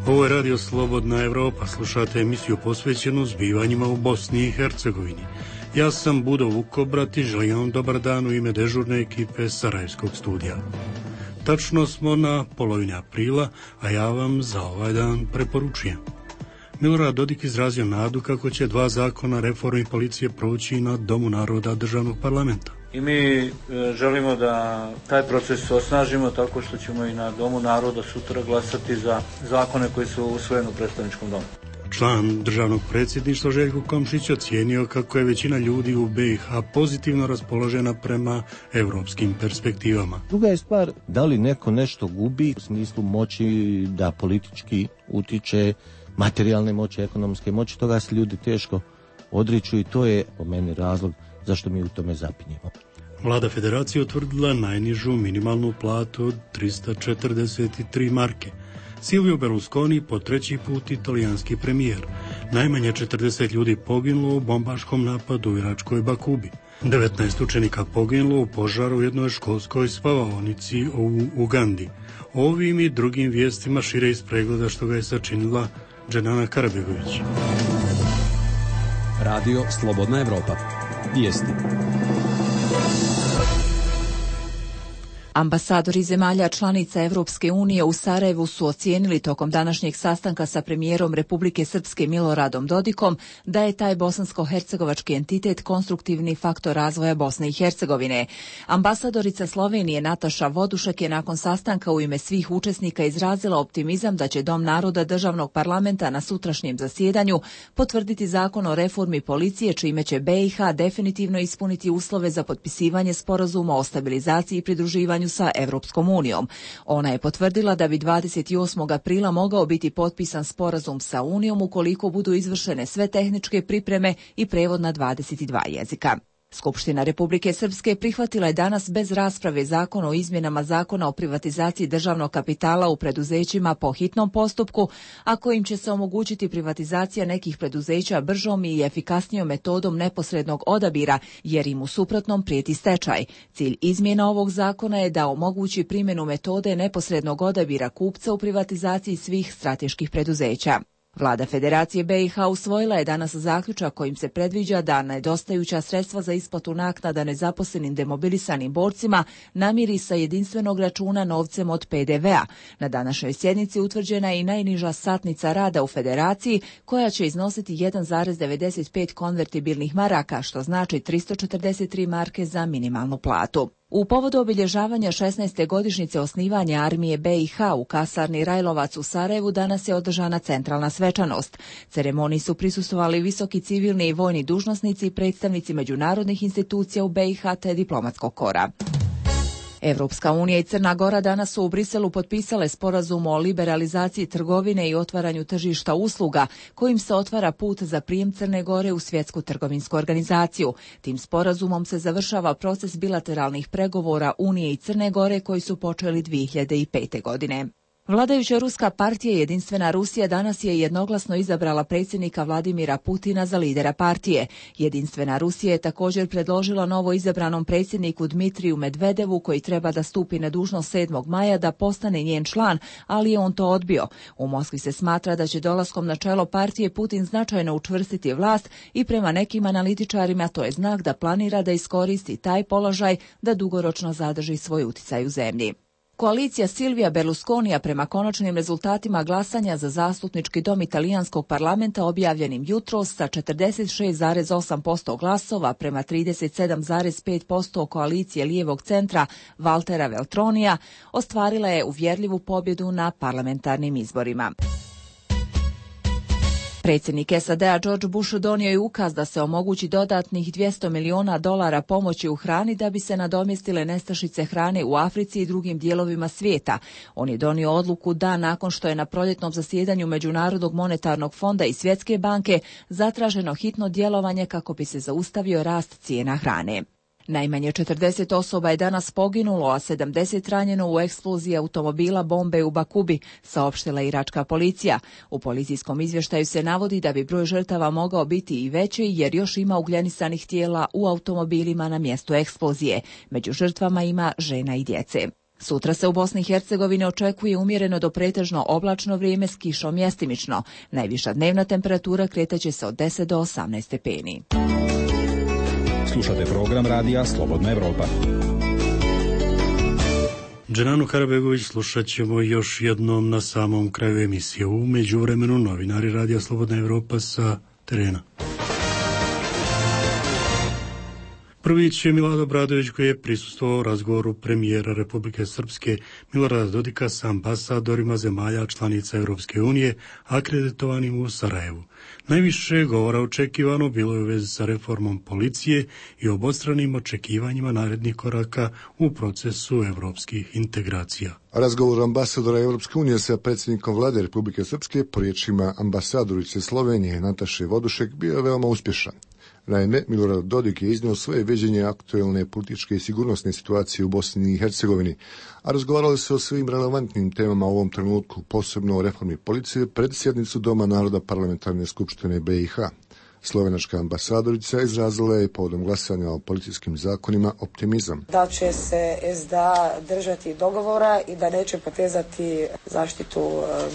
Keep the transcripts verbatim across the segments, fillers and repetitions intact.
Ovo je Radio Slobodna Evropa, slušate emisiju posvećenu zbivanjima u Bosni i Hercegovini. Ja sam Budo Vukobrat i želim vam dobar dan u ime dežurne ekipe Sarajevskog studija. Tačno smo na polovini aprila, a ja vam za ovaj dan preporučujem. Milorad Dodik izrazio nadu kako će dva zakona reformi policije proći na Domu naroda državnog parlamenta. I mi e, želimo da taj proces osnažimo tako što ćemo i na Domu naroda sutra glasati za zakone koji su usvojeni u predstavničkom domu. Član državnog predsjedništva Željko Komšić ocijenio kako je većina ljudi u B i H pozitivno raspoložena prema europskim perspektivama. Druga je stvar da li neko nešto gubi u smislu moći da politički utiče, materijalne moći, ekonomske moći, toga se ljudi teško odriču i to je po meni razlog zašto mi u tome zapinjemo. Vlada Federacije utvrdila najnižu minimalnu platu od trista četrdeset tri marke. Silvio Berlusconi po treći put italijanski premijer. Najmanje četrdeset ljudi poginulo u bombaškom napadu u iračkoj Bakubi. devetnaest učenika poginulo u požaru u jednoj školskoj spavaonici u Ugandi. Ovim i drugim vijestima šire iz pregleda što ga je sačinila Dženana Karabegović. Radio Slobodna Evropa. Vijesti. Ambasadori zemalja članica Evropske unije u Sarajevu su ocijenili tokom današnjeg sastanka sa premijerom Republike Srpske Miloradom Dodikom da je taj bosansko-hercegovački entitet konstruktivni faktor razvoja Bosne i Hercegovine. Ambasadorica Slovenije Nataša Vodušek je nakon sastanka u ime svih učesnika izrazila optimizam da će Dom naroda državnog parlamenta na sutrašnjem zasjedanju potvrditi zakon o reformi policije, čime će B i H definitivno ispuniti uslove za potpisivanje sporazuma o stabilizaciji i pridruživanju sa Evropskom unijom. Ona je potvrdila da bi dvadeset osmog aprila mogao biti potpisan sporazum sa Unijom ukoliko budu izvršene sve tehničke pripreme i prevod na dvadeset dva jezika. Skupština Republike Srpske prihvatila je danas bez rasprave zakon o izmjenama zakona o privatizaciji državnog kapitala u preduzećima po hitnom postupku, a kojim će se omogućiti privatizacija nekih preduzeća bržom i efikasnijom metodom neposrednog odabira, jer im u suprotnom prijeti stečaj. Cilj izmjena ovog zakona je da omogući primjenu metode neposrednog odabira kupca u privatizaciji svih strateških preduzeća. Vlada Federacije B i H usvojila je danas zaključak kojim se predviđa da nedostajuća sredstva za isplatu naknada nezaposlenim demobilisanim borcima namiri sa jedinstvenog računa novcem od P D V-a. Na današnjoj sjednici utvrđena je i najniža satnica rada u Federaciji koja će iznositi jedan zarez devedeset pet konvertibilnih maraka, što znači tristo četrdeset tri marke za minimalnu platu. U povodu obilježavanja šesnaeste godišnjice osnivanja armije B i H u kasarni Rajlovac u Sarajevu danas je održana centralna svečanost. Ceremoniji su prisustvovali visoki civilni i vojni dužnosnici i predstavnici međunarodnih institucija u B i H te diplomatskog kora. Evropska unija i Crna Gora danas su u Briselu potpisale sporazum o liberalizaciji trgovine i otvaranju tržišta usluga, kojim se otvara put za prijem Crne Gore u Svjetsku trgovinsku organizaciju. Tim sporazumom se završava proces bilateralnih pregovora Unije i Crne Gore koji su počeli dvije hiljade pete. godine. Vladajuća ruska partija Jedinstvena Rusija danas je jednoglasno izabrala predsjednika Vladimira Putina za lidera partije. Jedinstvena Rusija je također predložila novo izabranom predsjedniku Dmitriju Medvedevu, koji treba da stupi na dužnost sedmog maja, da postane njen član, ali je on to odbio. U Moskvi se smatra da će dolaskom na čelo partije Putin značajno učvrstiti vlast i prema nekim analitičarima to je znak da planira da iskoristi taj položaj da dugoročno zadrži svoj uticaj u zemlji. Koalicija Silvija Berlusconija prema konačnim rezultatima glasanja za zastupnički dom italijanskog parlamenta objavljenim jutros sa četrdeset šest zarez osam posto glasova prema trideset sedam zarez pet posto koalicije lijevog centra Valtera Veltronija ostvarila je uvjerljivu pobjedu na parlamentarnim izborima. Predsjednik S A D-a George Bush donio je ukaz da se omogući dodatnih dvjesto milijuna dolara pomoći u hrani da bi se nadomjestile nestašice hrane u Africi i drugim dijelovima svijeta. On je donio odluku dan nakon što je na proljetnom zasjedanju Međunarodnog monetarnog fonda i Svjetske banke zatraženo hitno djelovanje kako bi se zaustavio rast cijena hrane. Najmanje četrdeset osoba je danas poginulo, a sedamdeset ranjeno u eksploziji automobila bombe u Bakubi, saopštila iračka policija. U policijskom izvještaju se navodi da bi broj žrtava mogao biti i veći jer još ima ugljenisanih tijela u automobilima na mjestu eksplozije. Među žrtvama ima žena i djece. Sutra se u Bosni i Hercegovini očekuje umjereno do pretežno oblačno vrijeme s kišom mjestimično. Najviša dnevna temperatura kretaće se od deset do osamnaest stepeni. Slušate program radija Slobodna Evropa. Dženanu Karabegović slušat ćemo još jednom na samom kraju emisije. U međuvremenu novinari radija Slobodna Evropa sa terena. Prvić je Milado Bradović koji je prisustvovao razgovoru premijera Republike Srpske Milorada Dodika sa ambasadorima zemalja članica Europske unije akreditovanim u Sarajevu. Najviše govora očekivano bilo je u vezi sa reformom policije i obostranim očekivanjima narednih koraka u procesu evropskih integracija. Razgovor ambasadora Europske unije sa predsjednikom vlade Republike Srpske po riječima ambasadorice Slovenije Nataše Vodušek bio je veoma uspješan. Naime, Milorad Dodik je iznio svoje viđenje aktuelne političke i sigurnosne situacije u Bosni i Hercegovini, a razgovarali se o svim relevantnim temama u ovom trenutku, posebno o reformi policije pred sjednicu Doma naroda Parlamentarne skupštine B i H. Slovenačka ambasadorica izrazila je povodom glasanja o policijskim zakonima optimizam. Da će se S D A držati dogovora i da neće potezati zaštitu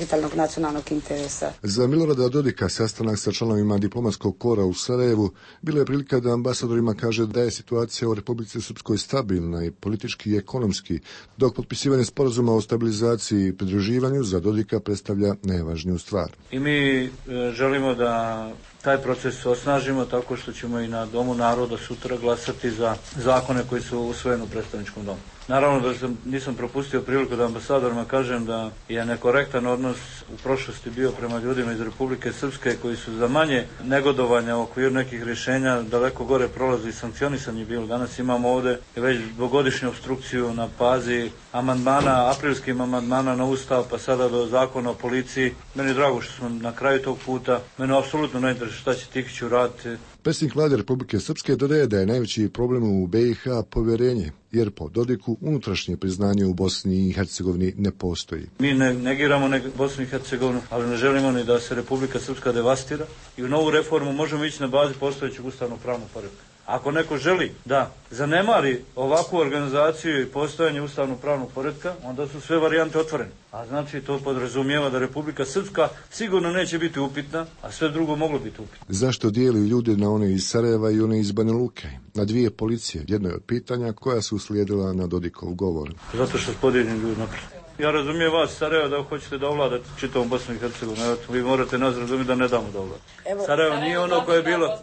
vitalnog nacionalnog interesa. Za Milorada Dodika sastanak sa članovima diplomatskog kora u Sarajevu bila je prilika da ambasadorima kaže da je situacija u Republici Srpskoj stabilna i politički i ekonomski, dok potpisivanje sporazuma o stabilizaciji i pridruživanju za Dodika predstavlja najvažniju stvar. I mi želimo da taj proces osnažimo tako što ćemo i na Domu naroda sutra glasati za zakone koji su usvojeni u predstavničkom domu. Naravno da sam, nisam propustio priliku da ambasadorima kažem da je nekorektan odnos u prošlosti bio prema ljudima iz Republike Srpske koji su za manje negodovanja u okviru nekih rješenja daleko gore prolazi i sankcionisanje bilo. Danas imamo ovdje već dvogodišnju obstrukciju na pazi amandmana, aprilskim amandmana na Ustav, pa sada do zakona o policiji. Meni je drago što smo na kraju tog puta. Mene apsolutno ne interesuje šta će Tihić uraditi. Predsjednik vlade Republike Srpske dodaje da je najveći problem u B i H povjerenje, jer po Dodiku unutrašnje priznanje u Bosni i Hercegovini ne postoji. Mi ne negiramo ne Bosnu i Hercegovinu, ali ne želimo ni da se Republika Srpska devastira i u novu reformu možemo ići na bazi postojećeg ustavnog pravnog poretka. Ako neko želi da zanemari ovakvu organizaciju i postojanje ustavnog pravnog poretka, onda su sve varijante otvorene. A znači to podrazumijeva da Republika Srpska sigurno neće biti upitna, a sve drugo moglo biti upitno. Zašto dijeli ljude na one iz Sarajeva i one iz Banja Luke? Na dvije policije, jedno je od pitanja koja su uslijedila na Dodikov govor. Zato što podijeljeni ljudi naprijed. Ja razumijem vas, Sarajevo, da hoćete da ovladate čitavom Bosnu i Hercegovinu. Vi morate nas razumjeti da ne damo da ovladate. Sarajevo nije ono koje je bilo...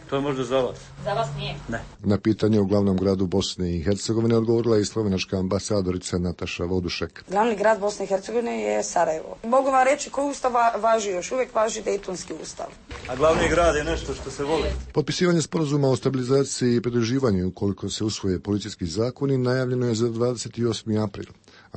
To je možda za vas. Za vas nije. Ne. Na pitanje u glavnom gradu Bosne i Hercegovine odgovorila i slovenačka ambasadorica Nataša Vodušek. Glavni grad Bosne i Hercegovine je Sarajevo. Mogu vam reći koji ustav važi, još uvijek važi Dejtonski ustav. A glavni grad je nešto što se voli. Potpisivanje sporazuma o stabilizaciji i pridruživanju, ukoliko se usvoje policijski zakoni, najavljeno je za dvadeset osmi april.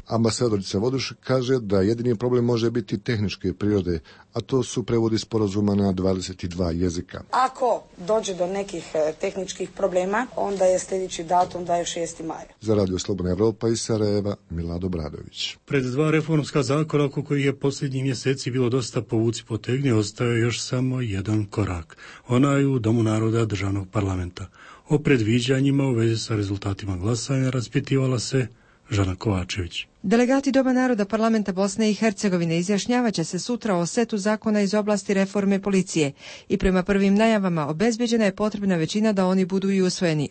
Ambasadorica Vodušek kaže da jedini problem može biti tehničke prirode, a to su prevodi sporazuma na dvadeset dva jezika. Ako dođe do nekih tehničkih problema, onda je sljedeći datum da je šesti maj. Za Radio Slobodna Evropa iz Sarajeva, Milado Bradović. Pred dva reformska zakona oko kojih je posljednjih mjeseci bilo dosta povuci potegni, ostao je još samo jedan korak. Onaj u Domu naroda državnog parlamenta. O predviđanjima u vezi sa rezultatima glasanja raspitivala se Žana Kovačević. Delegati Doma naroda Parlamenta Bosne i Hercegovine izjašnjavaće se sutra o setu zakona iz oblasti reforme policije i prema prvim najavama obezbeđena je potrebna većina da oni budu i usvojeni.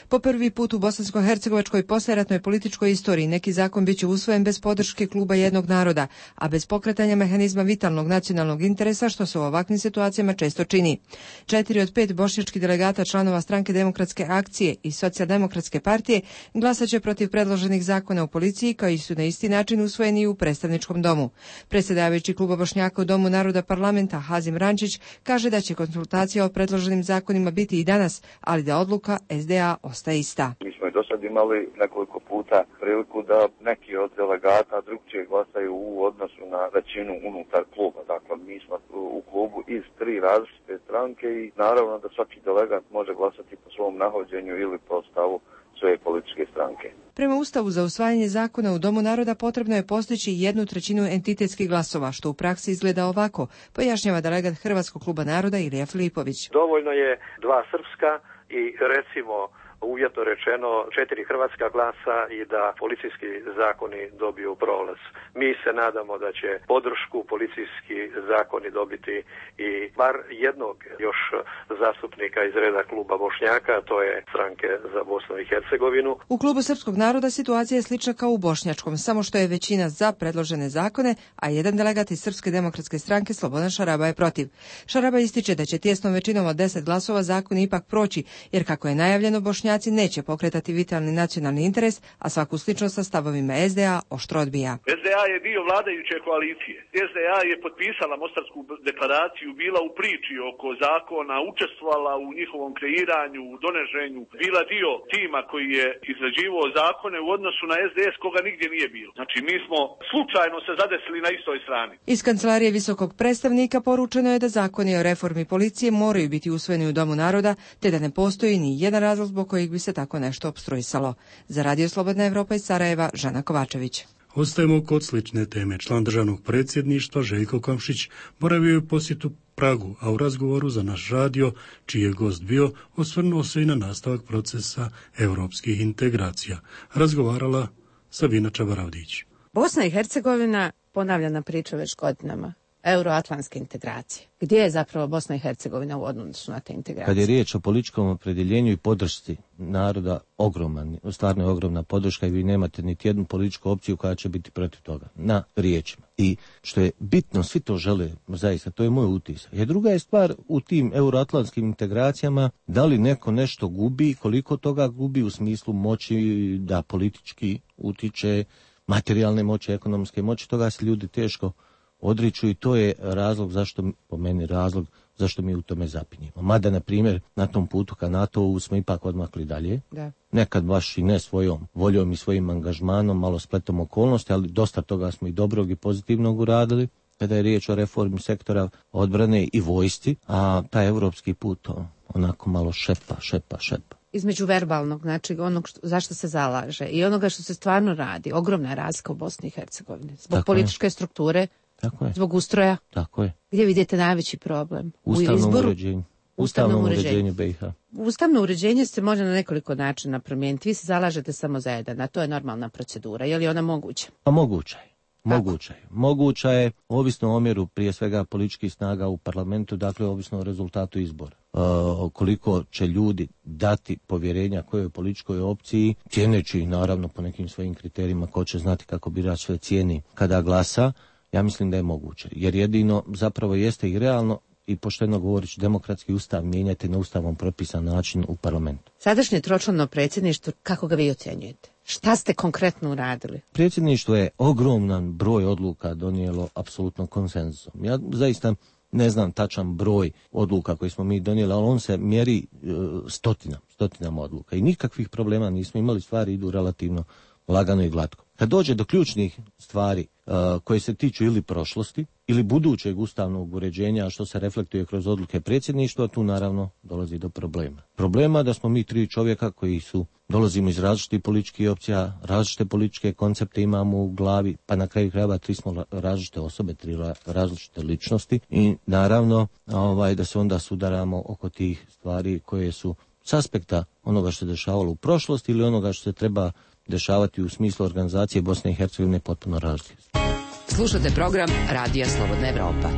Po prvi put u bosansko-hercegovačkoj poslijeratnoj političkoj istoriji neki zakon biće usvojen bez podrške kluba jednog naroda, a bez pokretanja mehanizma vitalnog nacionalnog interesa, što se u ovakvim situacijama često čini. Četiri od pet bošnjačkih delegata članova Stranke demokratske akcije i Socijaldemokratske partije glasaće protiv predloženih zakona u policiji, kao i su na isti način usvojeni u predstavničkom domu. Predsjedavajući kluba Bošnjaka u Domu naroda Parlamenta Hazim Rančić kaže da će konsultacija o predloženim zakonima biti i danas, ali da odluka S D A ostaje ista. Mi smo i do sad imali nekoliko puta priliku da neki od delegata drugčije glasaju u odnosu na većinu unutar kluba. Dakle, mi smo u klubu iz tri različite stranke i naravno da svaki delegat može glasati po svom nahođenju ili po stavu svoje političke stranke. Prema Ustavu za usvajanje zakona u Domu naroda potrebno je postići jednu trećinu entitetskih glasova, što u praksi izgleda ovako, pojašnjava delegat Hrvatskog kluba naroda Ilija Filipović. Dovoljno je dva srpska i recimo uvjetno rečeno četiri hrvatska glasa i da policijski zakoni dobiju prolaz. Mi se nadamo da će podršku policijski zakoni dobiti i bar jednog još zastupnika iz reda kluba Bošnjaka, to je Stranke za Bosnu i Hercegovinu. U klubu Srpskog naroda situacija je slična kao u bošnjačkom, samo što je većina za predložene zakone, a jedan delegat iz Srpske demokratske stranke Slobodan Šaraba je protiv. Šaraba ističe da će tijesnom većinom od deset glasova zakon ipak proći, jer kako je najavljeno, Bošnjaci neće pokretati vitalni nacionalni interes, a svaku sličnost sa stavovima es de a oštro odbija. es de a je dio vladajuće koalicije. es de a je potpisala Mostarsku deklaraciju, bila u priči oko zakona, učestvovala u njihovom kreiranju, u donošenju, bila dio tima koji je izrađivao zakone u odnosu na es de es koga nigdje nije bilo. Znači mi smo slučajno se zadesili na istoj strani. Iz kancelarije visokog predstavnika poručeno je da zakoni o reformi policije moraju biti usvojeni u Domu naroda, te da ne postoji ni jedan razlog zbog kojeg bi se tako nešto opstruisalo. Za Radio Slobodna Evropa iz Sarajeva, Žana Kovačević. Ostajemo kod slične teme. Član državnog predsjedništva Željko Komšić boravio je u posjetu Pragu, a u razgovoru za naš radio, čiji je gost bio, osvrnuo se i na nastavak procesa europskih integracija. Razgovarala Sabina Čabaravdić. Bosna i Hercegovina, ponavljana priča već godinama, euroatlantske integracije. Gdje je zapravo Bosna i Hercegovina u odnosu na te integracije? Kad je riječ o političkom opredjeljenju i podršci naroda, ogroman, stvarno je ogromna podrška i vi nemate niti jednu političku opciju koja će biti protiv toga, na riječima. I što je bitno, svi to žele, zaista, to je moj utisak. Jer druga je stvar u tim euroatlantskim integracijama, da li neko nešto gubi, koliko toga gubi u smislu moći da politički utiče, materijalne moći, ekonomske moći, toga se ljudi teško odriču i to je razlog zašto, po meni razlog, zašto mi u tome zapinjemo. Mada, na primjer, na tom putu ka NATO-u smo ipak odmakli dalje. Da. Nekad baš i ne svojom voljom i svojim angažmanom, malo spletom okolnosti, ali dosta toga smo i dobrog i pozitivnog uradili kada je riječ o reformi sektora odbrane i vojsci, a taj evropski put onako malo šepa, šepa, šepa. Između verbalnog, znači onog što, zašto se zalaže i onoga što se stvarno radi, ogromna razlika u Bosni i Hercegovini. Zbog Tako političke je. strukture, Tako je. zbog ustroja. Tako je. Gdje vidite najveći problem? Ustavnom u izboru? uređenju. Ustavnom Ustavnom uređenju. uređenju be i ha. Ustavno uređenje se može na nekoliko načina promijeniti. Vi se zalažete samo za jedan, a to je normalna procedura. Je li ona moguća? Pa moguća je. Moguća je. Moguća je, ovisno o omjeru prije svega političkih snaga u parlamentu, dakle ovisno o rezultatu izbora. E, koliko će ljudi dati povjerenja kojoj političkoj opciji, cijeneći naravno po nekim svojim kriterijima, ko će znati kako birač sve cijeni kada glasa, ja mislim da je moguće. Jer jedino zapravo jeste i realno i pošteno govoreći demokratski ustav mijenjati na ustavom propisan način u parlamentu. Sadašnje tročlano predsjedništvo, kako ga vi ocjenjujete? Šta ste konkretno uradili? Predsjedništvo je ogroman broj odluka donijelo apsolutno konsenzusom. Ja zaista ne znam tačan broj odluka koje smo mi donijeli, ali on se mjeri e, stotinama, stotinama odluka. I nikakvih problema nismo imali, stvari idu relativno lagano i glatko. Kad dođe do ključnih stvari uh, koje se tiču ili prošlosti ili budućeg ustavnog uređenja, što se reflektuje kroz odluke predsjedništva, tu naravno dolazi do problema. Problema da smo mi tri čovjeka koji su dolazimo iz različitih političkih opcija, različite političke koncepte imamo u glavi, pa na kraju krajeva tri smo različite osobe, tri različite ličnosti i naravno ovaj, da se onda sudaramo oko tih stvari koje su s aspekta onoga što se dešavalo u prošlosti ili onoga što se treba dešavati u smislu organizacije Bosne i Hercegovine potpuno različite. Slušate program Radija Slobodna Evropa.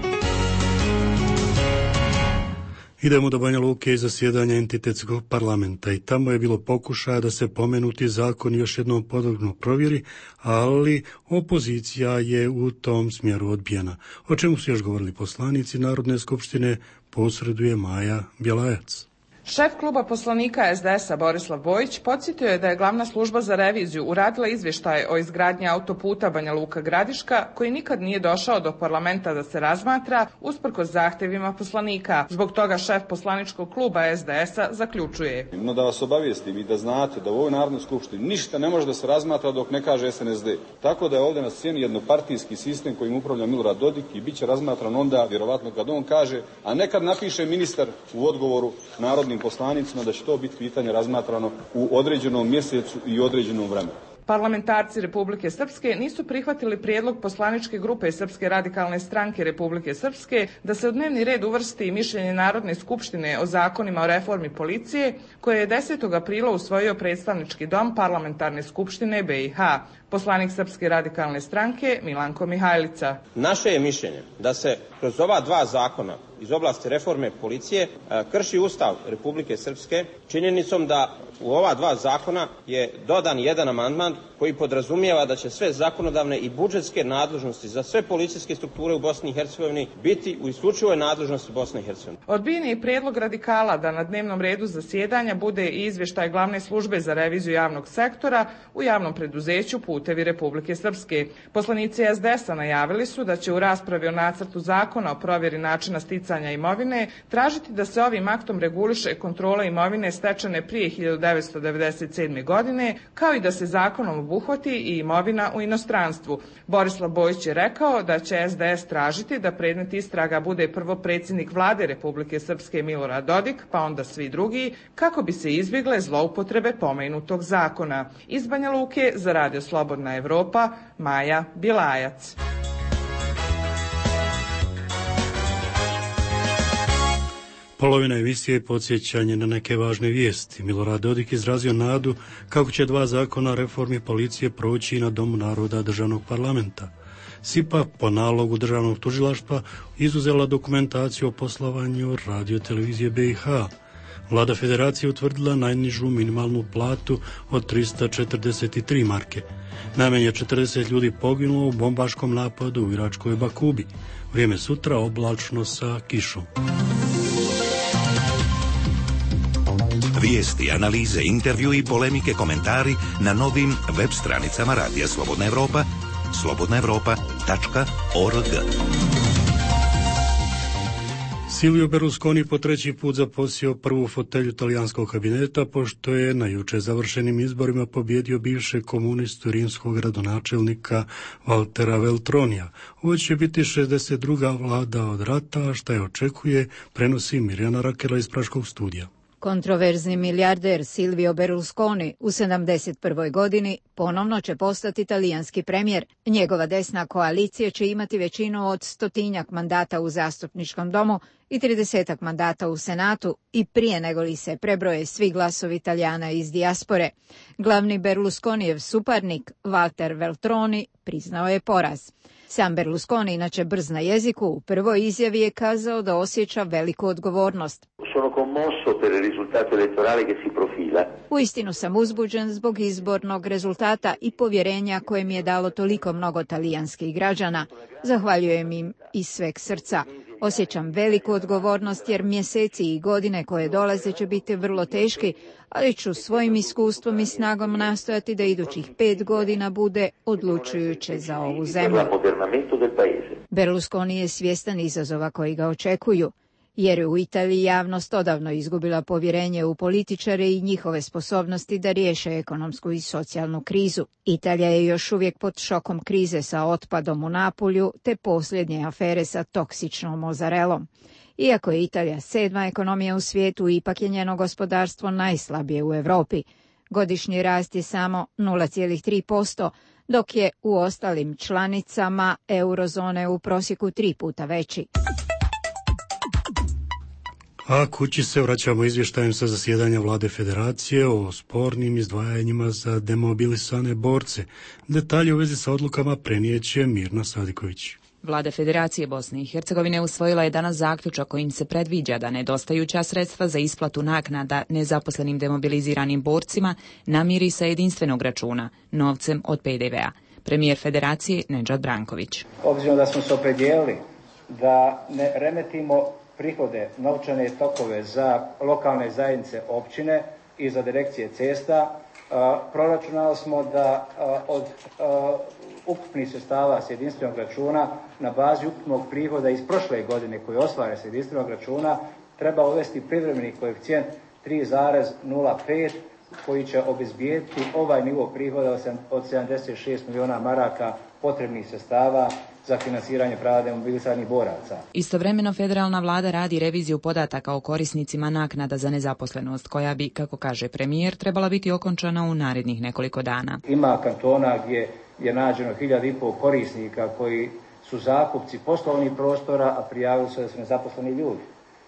Idemo do Banja Luke i zasjedanja entitetskog parlamenta i tamo je bilo pokušaja da se pomenuti zakon još jednom podrobno provjeri, ali opozicija je u tom smjeru odbijena. O čemu su još govorili poslanici Narodne skupštine, posreduje Maja Bjelajac. Šef kluba poslanika es de es a Borislav Bojić podsjetio je da je glavna služba za reviziju uradila izvještaj o izgradnji autoputa Banja Luka-Gradiška, koji nikad nije došao do parlamenta da se razmatra, usprkos zahtjevima poslanika. Zbog toga šef poslaničkog kluba es de es a zaključuje. No da vas obavijestim i da znate da u ovoj Narodnoj skupštini ništa ne može da se razmatra dok ne kaže es en es de. Tako da je ovdje na sceni jednopartijski sistem kojim upravlja Milorad Dodik i bit će razmatran onda, vjerovatno kad on kaže, a nekad napiše ministar u odgovoru narodnim poslanicima da će to biti pitanje razmatrano u određenom mjesecu i određenom vremenu. Parlamentarci Republike Srpske nisu prihvatili prijedlog poslaničke grupe Srpske radikalne stranke Republike Srpske da se u dnevni red uvrsti mišljenje Narodne skupštine o zakonima o reformi policije, koje je desetog aprila usvojio predstavnički dom Parlamentarne skupštine B i H. Poslanik Srpske radikalne stranke Milanko Mihajlica. Naše je mišljenje da se kroz ova dva zakona iz oblasti reforme policije krši Ustav Republike Srpske činjenicom da u ova dva zakona je dodan jedan amandman koji podrazumijeva da će sve zakonodavne i budžetske nadležnosti za sve policijske strukture u Bosni i Hercegovini biti u isključivoj nadležnosti Bosne i Hercegovine. Odbijen je predlog radikala da na dnevnom redu zasjedanja bude i izvještaj Glavne službe za reviziju javnog sektora u javnom preduzeću Putevi Republike Srpske. Poslanici S D S-a najavili su da će u raspravi o nacrtu zakona o provjeri načina sticanja imovine tražiti da se ovim aktom reguliše kontrola imovine stečene prije hiljadu devetsto devedeset sedme. godine, kao i da se zakonom obuhvati i imovina u inostranstvu. Borislav Bojić je rekao da će S D S tražiti da predmet istraga bude prvo predsjednik vlade Republike Srpske Milorad Dodik, pa onda svi drugi, kako bi se izbjegle zloupotrebe pomenutog zakona. Iz Banja Luke za Radio Slobodna Evropa, Maja Bilajac. Polovina emisije je podsjećanje na neke važne vijesti. Milorad Dodik izrazio nadu kako će dva zakona o reformi policije proći na Domu naroda državnog parlamenta. S I P A po nalogu državnog tužilaštva izuzela dokumentaciju o poslovanju radio-televizije B i H. Vlada Federacije utvrdila najnižu minimalnu platu od trista četrdeset tri marke. Najmanje četrdeset ljudi poginulo u bombaškom napadu u iračkoj Bakubi. Vrijeme sutra oblačno sa kišom. Vijesti, analize, intervju i polemike, komentari na novim web stranicama Radija Slobodna Evropa, slobodna evropa tačka org. Silvio Berlusconi po treći put zaposio prvu fotelju talijanskog kabineta, pošto je na juče završenim izborima pobjedio bivšeg komunistu rimskog gradonačelnika Valtera Veltronija. Ovo će biti šezdeset druga vlada od rata, šta je očekuje, prenosi Mirjana Rakela iz Praškog studija. Kontroverzni milijarder Silvio Berlusconi u sedamdeset prvoj godini ponovno će postati talijanski premijer. Njegova desna koalicija će imati većinu od stotinjak mandata u zastupničkom domu i tridesetak mandata u Senatu i prije nego li se prebroje svi glasovi Italijana iz dijaspore. Glavni Berlusconijev suparnik Walter Veltroni priznao je poraz. Sam Berlusconi, inače brz na jeziku, u prvoj izjavi je kazao da osjeća veliku odgovornost. Uistinu sam uzbuđen zbog izbornog rezultata i povjerenja koje mi je dalo toliko mnogo talijanskih građana. Zahvaljujem im iz sveg srca. Osjećam veliku odgovornost jer mjeseci i godine koje dolaze će biti vrlo teški, ali ću svojim iskustvom i snagom nastojati da idućih pet godina bude odlučujuće za ovu zemlju. Berlusconi je svjestan izazova koji ga očekuju, jer je u Italiji javnost odavno izgubila povjerenje u političare i njihove sposobnosti da riješe ekonomsku i socijalnu krizu. Italija je još uvijek pod šokom krize sa otpadom u Napulju te posljednje afere sa toksičnom mozarelom. Iako je Italija sedma ekonomija u svijetu, ipak je njeno gospodarstvo najslabije u Europi. Godišnji rast je samo nula zarez tri posto, dok je u ostalim članicama eurozone u prosjeku tri puta veći. A kući se vraćamo izvještajem sa zasjedanja Vlade Federacije o spornim izdvajanjima za demobilisane borce. Detalje u vezi sa odlukama prenijeće Mirna Sadiković. Vlada Federacije Bosne i Hercegovine usvojila je danas zaključak kojim se predviđa da nedostajuća sredstva za isplatu naknada nezaposlenim demobiliziranim borcima namiri sa jedinstvenog računa, novcem od P D V-a. Premijer Federacije Nedžad Branković. Obzirom da smo se opredijelili da ne remetimo prihode, novčane tokove za lokalne zajednice općine i za direkcije cesta, proračunali smo da od ukupnih sredstava s jedinstvenog računa na bazi ukupnog prihoda iz prošle godine koji ostvare s jedinstvenog računa treba uvesti privremeni koeficijent tri zarez nula pet koji će obezbijediti ovaj nivo prihoda od sedamdeset šest miliona maraka potrebnih sredstava za finansiranje prava demobilisanih boraca. Istovremeno federalna vlada radi reviziju podataka o korisnicima naknada za nezaposlenost, koja bi, kako kaže premijer, trebala biti okončana u narednih nekoliko dana. Ima kantona gdje je nađeno hiljadu i pol korisnika koji su zakupci poslovnih prostora, a prijavili su da su nezaposleni ljudi.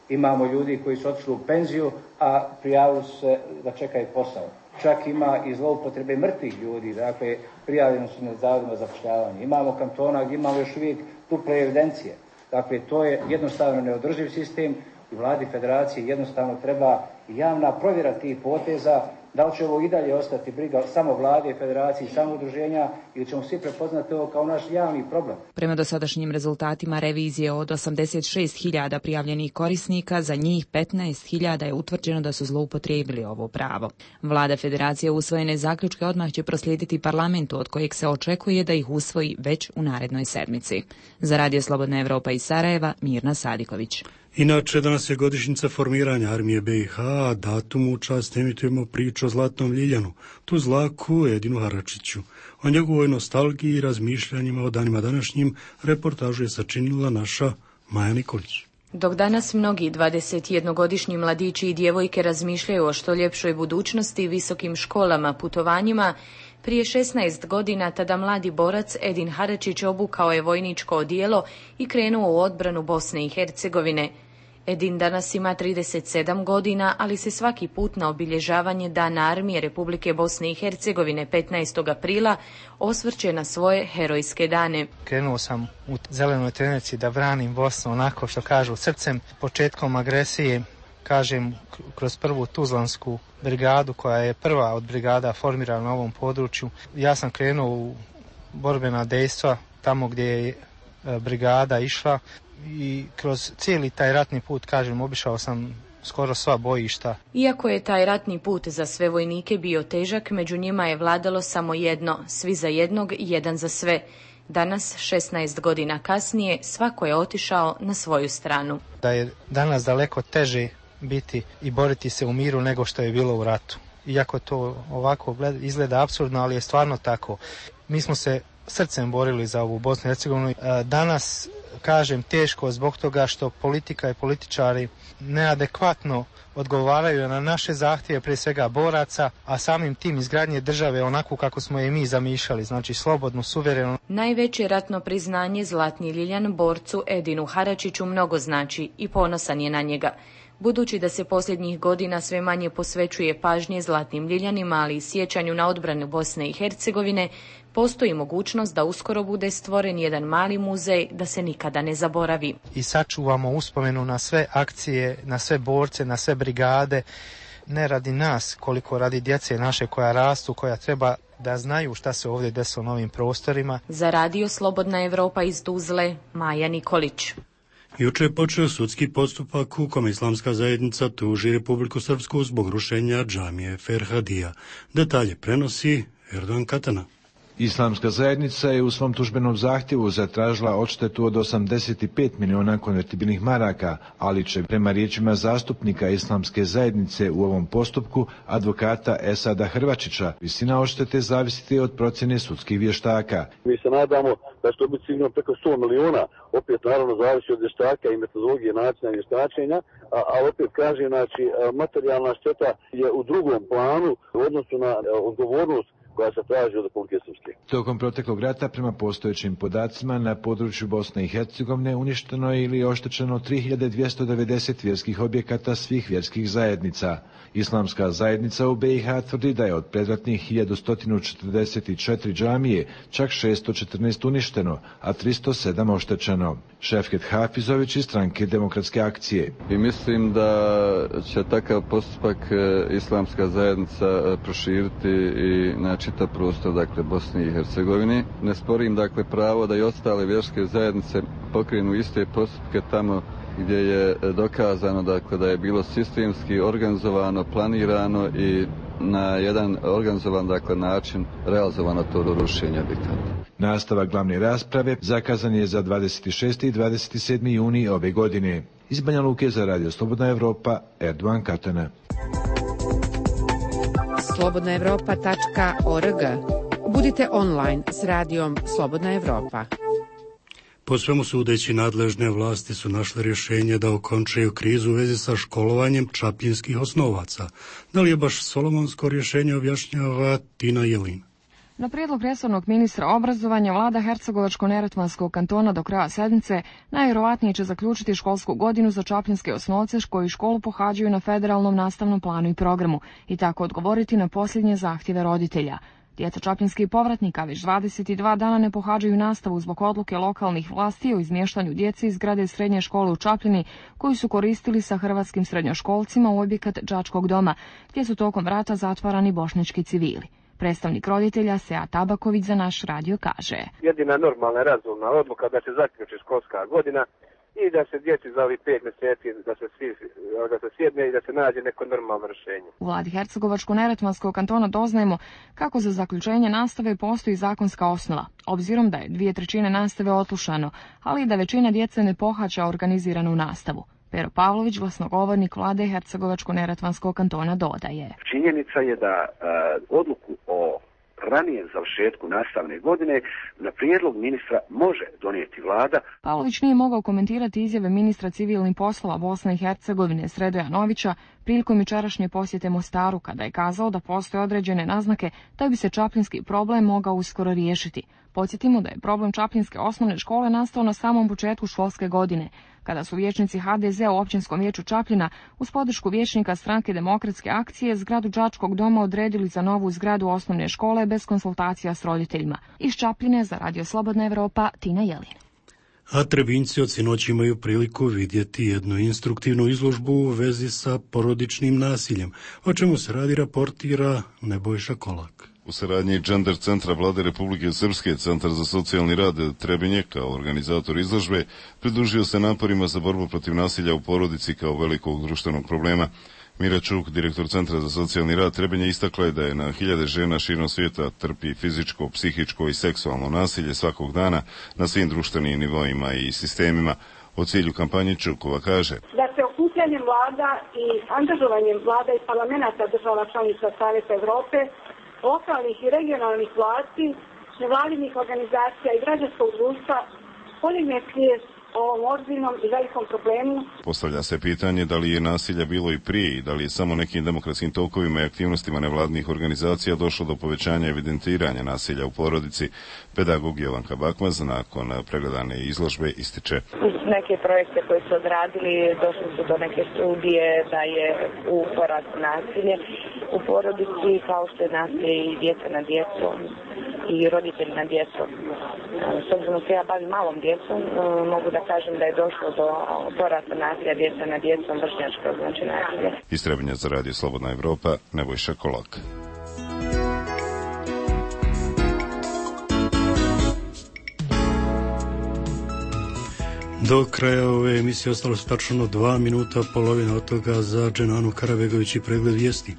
Imamo ljudi koji su otišli u penziju, a prijavili su se da čekaju posao. Čak ima i zloupotrebe mrtvih ljudi, dakle prijavljeni su na zavodima za zapošljavanje. Imamo kantona gdje imamo još uvijek duple evidencije. Dakle, to je jednostavno neodrživ sistem i vladi federacije jednostavno treba javna provjera tih poteza, da li će ovo i dalje ostati briga samo vlade, federacije i samo udruženja ili ćemo svi prepoznati ovo kao naš javni problem. Prema dosadašnjim rezultatima revizije od osamdeset šest hiljada prijavljenih korisnika, za njih petnaest hiljada je utvrđeno da su zloupotrijebili ovo pravo. Vlada federacije usvojene zaključke odmah će proslijediti parlamentu, od kojeg se očekuje da ih usvoji već u narednoj sedmici. Za Radio Slobodna Evropa iz Sarajeva, Mirna Sadiković. Inače, danas je godišnjica formiranja armije B i H, a datumu u čast emitujemo priču o Zlatnom Ljiljanu, tu zlaku Edinu Haračiću. O njegovoj nostalgiji i razmišljanjima o danima današnjim reportažu je sačinila naša Maja Nikolić. Dok danas mnogi dvadesetjednogodišnji mladići i djevojke razmišljaju o što ljepšoj budućnosti, visokim školama, putovanjima, prije šesnaest godina tada mladi borac Edin Haračić obukao je vojničko odijelo i krenuo u odbranu Bosne i Hercegovine. Edin danas ima trideset sedam godina, ali se svaki put na obilježavanje Dana armije Republike Bosne i Hercegovine petnaestog aprila osvrće na svoje herojske dane. Krenuo sam u zelenoj trenerici da branim Bosnu onako što kažu srcem. Početkom agresije, kažem, kroz prvu Tuzlansku brigadu, koja je prva od brigada formirana na ovom području, ja sam krenuo u borbena dejstva tamo gdje je brigada išla i kroz cijeli taj ratni put, kažem, obišao sam skoro sva bojišta. Iako je taj ratni put za sve vojnike bio težak, među njima je vladalo samo jedno, svi za jednog, jedan za sve. Danas, šesnaest godina kasnije, svako je otišao na svoju stranu. Da je danas daleko teže biti i boriti se u miru nego što je bilo u ratu. Iako to ovako izgleda apsurdno, ali je stvarno tako. Mi smo se srcem borili za ovu Bosnu i Hercegovinu. Danas, kažem, teško zbog toga što politika i političari neadekvatno odgovaraju na naše zahtjeve, prije svega boraca, a samim tim izgradnje države onako kako smo je mi zamišljali, znači slobodnu, suverenu. Najveće ratno priznanje Zlatni Ljiljan borcu Edinu Haračiću mnogo znači i ponosan je na njega. Budući da se posljednjih godina sve manje posvećuje pažnje Zlatnim Ljiljanima, ali i sjećanju na odbranu Bosne i Hercegovine, postoji mogućnost da uskoro bude stvoren jedan mali muzej da se nikada ne zaboravi. I sačuvamo uspomenu na sve akcije, na sve borce, na sve brigade, ne radi nas, koliko radi djece naše koja rastu, koja treba da znaju šta se ovdje desilo na ovim prostorima. Za Radio Slobodna Evropa iz Tuzle, Maja Nikolić. Juče je počeo sudski postupak u kome islamska zajednica tuži Republiku Srpsku zbog rušenja džamije Ferhadija. Detalje prenosi Erdogan Katana. Islamska zajednica je u svom tužbenom zahtjevu zatražila odštetu od osamdeset pet miliona konvertibilnih maraka, ali će prema riječima zastupnika Islamske zajednice u ovom postupku, advokata Esada Hrvačića, visina odštete zavisiti od procjene sudskih vještaka. Mi se nadamo da će to biti sigurno preko sto miliona, opet naravno zavisi od vještaka i metodologije načina vještačenja, a, a opet kažem, znači, materijalna šteta je u drugom planu u odnosu na odgovornost koja se traži od Republike Srpske. Tokom proteklog rata, prema postojećim podacima, na području Bosne i Hercegovine uništeno je ili oštećeno tri hiljade dvjesto devedeset vjerskih objekata svih vjerskih zajednica. Islamska zajednica u B i H tvrdi da je od predratnih hiljadu sto četrdeset četiri džamije čak šesto četrnaest uništeno, a tristo sedam oštećeno. Šefket Hafizović iz stranke Demokratske akcije. I mislim da će takav postupak Islamska zajednica proširiti i na čitav prostor, dakle, Bosne i Hercegovine. Ne sporim, dakle, pravo da i ostale vjerske zajednice pokrenu iste postupke tamo gdje je dokazano, dakle, da je bilo sistemski organizovano, planirano i na jedan organizovan, dakle, način realizovano to do rušenja diktata. Nastavak glavne rasprave zakazan je za dvadeset šesti i dvadeset sedmi juni ove godine. Iz Banja Luke za Radio Slobodna Evropa, Erdogan Katana. slobodna evropa tačka org. Budite online s radijom Slobodna Evropa. Po svemu sudeći, nadležne vlasti su našle rješenje da okončaju krizu u vezi sa školovanjem čapljinskih osnovaca. Da li je baš solomonsko rješenje, objašnjava Tina Jelin. Na prijedlog resornog ministra obrazovanja, vlada Hercegovačko-neretvanskog kantona do kraja sedmice najvjerovatnije će zaključiti školsku godinu za čapljinske osnovce koji školu pohađaju na federalnom nastavnom planu i programu i tako odgovoriti na posljednje zahtjeve roditelja. Djeca čapljinskih povratnika već dvadeset dva dana ne pohađaju nastavu zbog odluke lokalnih vlasti o izmještanju djece iz zgrade srednje škole u Čapljini koju su koristili sa hrvatskim srednjoškolcima u objekat đačkog doma, gdje su tokom rata zatvarani bošnjački civili. Predstavnik roditelja Sead Tabaković za naš radio kaže: Jedina normalna i razumna odluka da se zaključi školska godina i da se djeci za ovih pet mjeseci da se, svi, da se sjedne i da se nađe neko normalno rješenje. U vladi Hercegovačko-neretvanskog kantona doznajemo kako za zaključenje nastave postoji zakonska osnova, obzirom da je dvije trećine nastave otlušano, ali i da većina djece ne pohađa organiziranu nastavu. Pero Pavlović, glasnogovornik vlade Hercegovačko-neretvanskog kantona, dodaje: Činjenica je da uh, odluku o ranijem završetku nastavne godine na prijedlog ministra može donijeti vlada. Pavlović nije mogao komentirati izjave ministra civilnih poslova Bosne i Hercegovine Sredoja Novića prilikom jučerašnje posjete Mostaru, kada je kazao da postoje određene naznake da bi se čapljinski problem mogao uskoro riješiti. Podsjetimo da je problem čapljinske osnovne škole nastao na samom početku školske godine, kada su vijećnici ha de ze u općinskom vijeću Čapljina uz podršku vijećnika stranke Demokratske akcije zgradu đačkog doma odredili za novu zgradu osnovne škole bez konsultacija s roditeljima. Iz Čapljine za Radio Slobodna Evropa, Tina Jelin. A Trebinjci od sinoć imaju priliku vidjeti jednu instruktivnu izložbu u vezi sa porodičnim nasiljem, o čemu se radi raportira Nebojša Kolak. U saradnji Gender centra Vlade Republike Srpske, Centar za socijalni rad Trebinje kao organizator izložbe pridružio se naporima za borbu protiv nasilja u porodici kao velikog društvenog problema. Mira Čuk, direktor Centra za socijalni rad Trebinje, istakla je da je na hiljade žena širom svijeta trpi fizičko, psihičko i seksualno nasilje svakog dana na svim društvenim nivoima i sistemima. O cilju kampanje Čukova kaže: Da se okupljanjem vlada i angažovanjem vlada i parlamenta država članica Savjeta Evrope, lokalnih i regionalnih vlasti, nevladinih organizacija i građanskog društva podigne svijest o ovom ozbiljnom i velikom problemu. Postavlja se pitanje da li je nasilja bilo i prije i da li je samo nekim demokratskim tokovima i aktivnostima nevladinih organizacija došlo do povećanja evidentiranja nasilja u porodici. Pedagog Jovanka Bakmaz nakon pregledane izložbe ističe: Uz neke projekte koje su odradili došli su do neke studije da je u porastu nasilje u porodici, kao što je nasilje i djeca na djecom i roditelji na djecom. S obzirom da se ja bavim malom djecom, mogu da kažem da je došlo do porasta nasilja djeca na djecom, vršnjačko znači nasilje. Iz Trebinja za Radio Slobodna Evropa, Nebojša Kolak. Do kraja ove emisije ostalo su tačno dva minuta, polovina od toga za Dženanu Karabegović i pregled vijesti.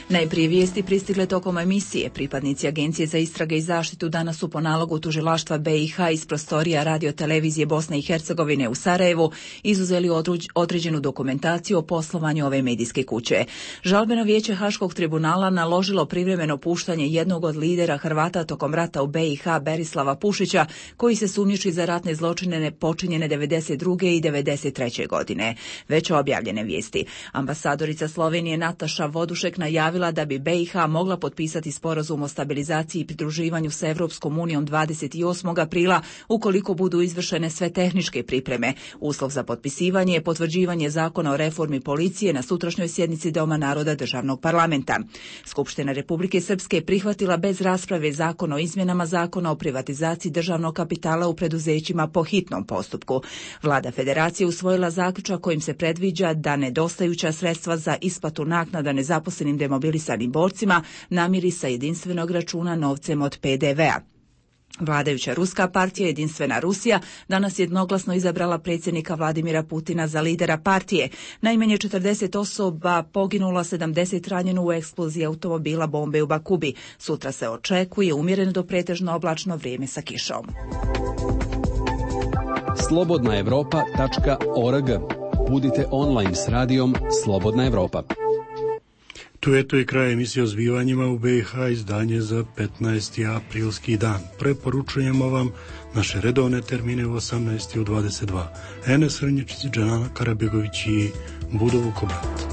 Najprije vijesti pristigle tokom emisije. Pripadnici Agencije za istrage i zaštitu danas su po nalogu tužilaštva be i ha iz prostorija radio-televizije Bosne i Hercegovine u Sarajevu izuzeli određenu dokumentaciju o poslovanju ove medijske kuće. Žalbeno vijeće Haškog tribunala naložilo privremeno puštanje jednog od lidera Hrvata tokom rata u be i ha, Berislava Pušića, koji se sumnjiči za ratne zločine počinjene devedeset druge i devedeset treće godine. Već objavljene vijesti. Ambasadorica Slovenije Nataša Vodušek najavila da bi be i ha mogla potpisati sporazum o stabilizaciji i pridruživanju sa Evropskom unijom dvadeset osmog aprila ukoliko budu izvršene sve tehničke pripreme. Uslov za potpisivanje je potvrđivanje zakona o reformi policije na sutrašnjoj sjednici Doma naroda državnog parlamenta. Skupština Republike Srpske je prihvatila bez rasprave zakon o izmjenama zakona o privatizaciji državnog kapitala u preduzećima po hitnom postupku. Vlada Federacije usvojila zaključak kojim se predviđa da nedostajuća sredstva za isplatu naknada nezaposlenim demobilisanim borcima namiri sa jedinstvenog računa novcem od pe de vea. Vladajuća ruska partija Jedinstvena Rusija danas jednoglasno izabrala predsjednika Vladimira Putina za lidera partije. Najmanje četrdeset osoba poginulo, sedamdeset ranjeno u eksploziji automobila bombe u Bakubi. Sutra se očekuje umjereno do pretežno oblačno vrijeme sa kišom. slobodna evropa tačka org. Budite online s radijom Slobodna Evropa. Tu je to i kraj emisije o zbivanjima u B i H, izdanje za petnaesti aprilski dan. Preporučujemo vam naše redovne termine u osamnaest i u dvadeset dva. Enes Hrnječić, Džanana Karabegović i Budo Vukobat.